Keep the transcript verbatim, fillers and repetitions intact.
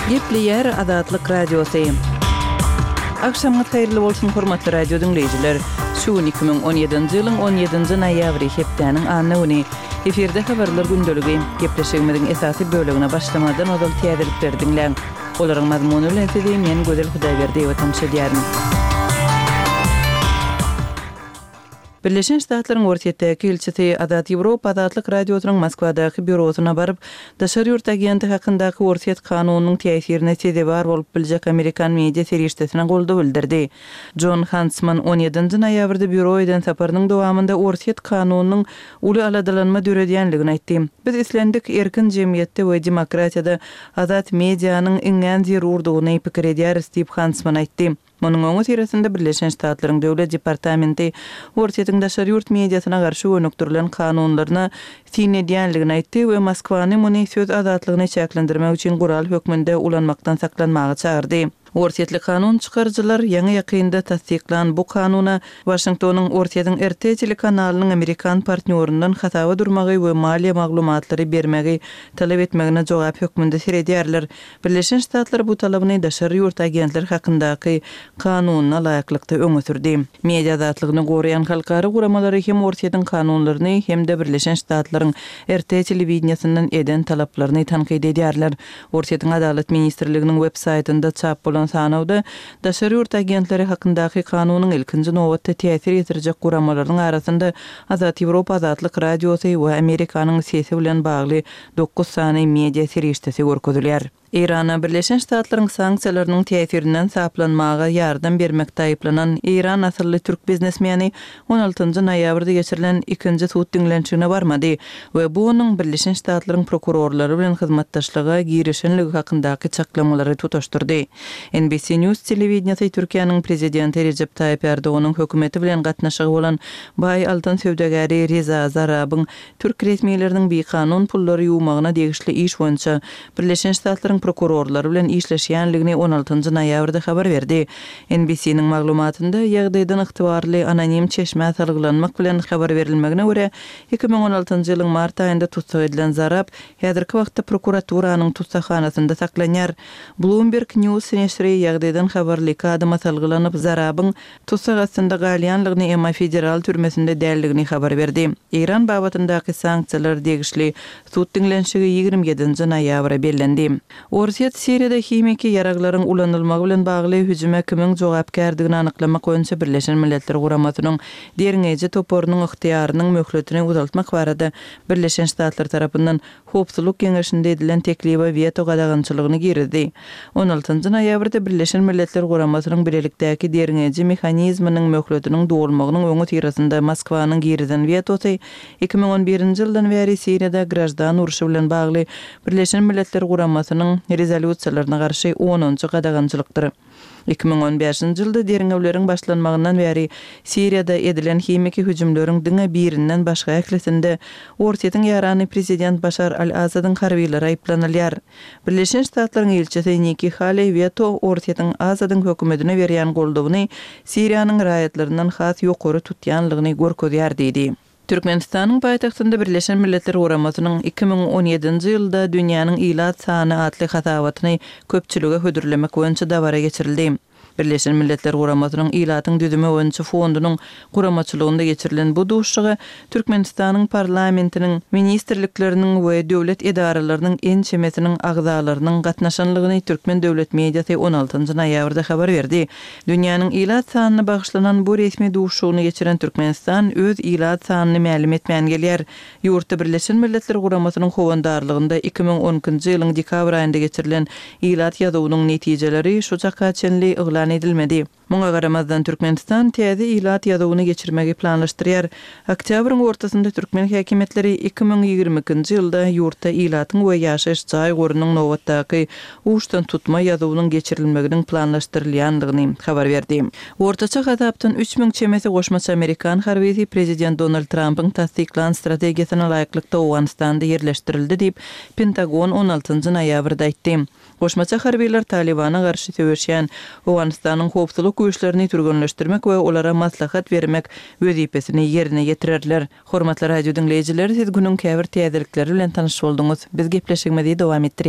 Gepleýär Azatlyk Radiosy. Agşamyňyz haýyrly bolsun, hormatly radio diňleýjiler! Şu gün iki müň on ýedinji ýylyň on ýedinji noýabry, hepdäniň anna güni. Efirde Habarlar gündeligi. Gepleşigimiziň esasy bölegine başlamazdan ozal täzelikleri diňläň. Olaryň mazmuny bilen sizi men Gözel Hudaýberdiýewa tanyş edýärin. Birleşen Ştatlaryň Orsýetdäki ilçisi Azat Ýewropa Azatlyk Radiosynyň Moskwadaky býurosyna baryp, daşary ýurt agenti hakyndaky orsýet kanunynyň täsirine sezewar bolup biljek amerikan media serişdesine goldaw bildirdi. Jon Hantsman on ýedinji noýabrda býuro eden saparynyň dowamynda orsýet kanunynyň uly aladalanma döredýänligini aýtdy. Biz islendik erkin jemgyýetde we demokratiýada azat medianyň iňňän zerurdygyny pikir edýäris diýip Hantsman aýtdy. Munuň öňüsyrasynda Birleşen Ştatlaryň Döwlet departamenti Orsýetiň daşary ýurt mediasyna garşy gönükdirilen kanunlaryna syn edýänligini aýtdy we Moskwany muny söz azatlygyny çäklendirmek üçin gural hökmünde ulanmakdan saklanmaga çagyrdy. Orsýetli kanun çykaryjylar ýaňy-ýakynda tassyklan bu kanuna Waşingtonyň Orsýetiň R T telekanalynyň amerikan partnýoryndan hasaba durmagy we maliýe maglumatlary bermegi talap etmegine jogap hökmünde seredýärler. Birleşen Ştatlar bu talabyny daşary ýurt agentleri hakyndaky kanunyna laýyklykda öňe sürdi. Media azatlygyny goraýan halkara guramalary hem Orsýetiň kanunlaryny hem-de Birleşen Ştatlaryň R T telewideniýesinden eden talaplaryny tankyt edýärler. Orsýetiň Adalat ministrliginiň web saýtynda çap bolan sanawda daşary ýurt agentleri hakyndaky kanunyň ilkinji nobatda täsir ýetirjek guramalarynyň arasynda Azat Ýewropa Azatlyk Radiosy we Amerikanyň Sesi bilen bagly dokuz sany media serişdesi görkezilýär. Eýrana Birleşen Ştatlaryň sanksiýalarynyň täsirinden saplanmaga ýardam bermekde aýyplanan Eýran asylly türk biznesmeni on altynjy noýabrda geçirilen ikinji sud diňlenişigine barmady we bu onuň Birleşen Ştatlaryň prokurorlary bilen hyzmatdaşlyga girişenligi hakyndaky çaklamalary tutaşdyrdy. N B C News telewideniýesi Türkiýäniň prezidenti Rejep Taýyp Erdoganyň hökümeti bilen gatnaşygy bolan baý altyn söwdagäri Reza Zarabyň türk resmileriniň bikanun pullary ýuwmagyna degişli iş boýunça Birleşen Ştatlaryň prokurorlary bilen işleşýänligini on altynjy noýabrda habar berdi. N B C-niň maglumatynda ýagdaýdan ygtybarly anonim çeşmä salgylanmak bilen habar berilmegine görä, iki müň on altynjy ýylyň mart aýynda tussag edilen Zarab häzirki wagtda prokuraturanyň tussaghanasynda saklanýar. Bloomberg News neşiri ýagdaýdan habarly iki adama salgylanyp, Zarabyň tussag astynda galýanlygyny, emma federal türmesinde däldigini habar berdi. Eýran babatyndaky sanksiýalar degişli sud diňlenişigi ýigrimi ýedinji noýabra bellendi. Orsýet Siriýada himiki ýaraglaryň ulanylmagy bilen bagly hüjüme kimiň jogapkärdigini anyklamak boýunça Birleşen Milletler Guramasynyň derňeýji toparynyň ygtyýarynyň möhletini uzaltmak barada Birleşen Ştatlar tarapyndan Howpsuzlyk Geňeşinde edilen teklibe weto gadagançylygyny girizdi. On altynjy noýabrda Birleşen Milletler Guramasynyň bilelikdäki derňeýji mehanizminiň möhletiniň dolmagynyň öňüsyrasynda Moskwanyň girizen wetosy iki müň on birinji ýyldan bäri Siriýada graždan urşy bilen bagly Birleşen Milletler Guramasynyň rezolýusiýalaryna garşy onunjy gadagançylykdyr. Iki müň on bäşinji ýylda derňewleriň başlanmagyndan bäri Siriýada edilen himiki hüjümleriň diňe birinden başga ählisinde Orsýetiň ýarany prezident Başar al-Asadyň harbylary aýyplanylýar. Birleşen Ştatlaryň ilçisi Nikki Haley weto Orsýetiň Asadyň hökümetine berýän goldawyny Siriýanyň raýatlaryndan has ýokary tutýanlygyny görkezýär diýdi. Türkmenistanyň paýtagtynda Birleşen Milletler Guramasynyň iki müň on ýedinji ýylda dünýäniň ilat sany atly hasabatyny köpçülige hödürlemek boýunça dabara geçirildi. Birleşen Milletler Guramasynyň ilatyň düzümi boýunça fondunyň guramaçylygynda geçirilen bu duşuşyga Türkmenistanyň parlamentiniň, ministrlikleriniň we döwlet edaralarynyň ençemesiniň agzalarynyň gatnaşanlygyny Türkmen döwlet mediasy on altynjy noýabrda habar berdi. Dünýäniň ilat sanyna bagyşlanan bu resmi duşuşygyny geçiren Türkmenistan öz ilat sanyny mälim etmän gelýär. Ýurtda Birleşen Milletler Guramasynyň howandarlygynda iki müň on ikinji ýylyň dekabr aýynda geçirilen ilat ýazuwynyň netijeleri şu çaka çenli yglan edilmedi. Muňa garamazdan Türkmenistan täze ilat ýazuwyny geçirmegi planlaşdyrýar. Oktýabryň ortasynda türkmen häkimiýetleri iki müň ýigrimi ikinji ýylda ýurtda ilatyň we ýaşaýyş jaý gorunyň nobatdaky uçdan tutma ýazuwynyň geçirilmeginiň planlaşdyrylýandygyny habar berdi. Ortaça hasapdan üç müň çemesi goşmaça amerikan harbysy prezident Donald Trumpyň tassyklan strategiýasyna laýyklykda Owganystanda ýerleşdirildi diýip Pentagon on altynjy noýabrda aýtdy. Goşmaça harbylar Talibana garşy söweşýän Owganystanyň howpsuzlyk güýçlerini türgenleşdirmek we olara maslahat bermek wezipesini ýerine ýetirerler. Hormatly radio diňleýjiler, siz günüň käbir täzelikleri bilen tanyş bolduňyz. Biz gepleşigimizi dowam etdirýäris.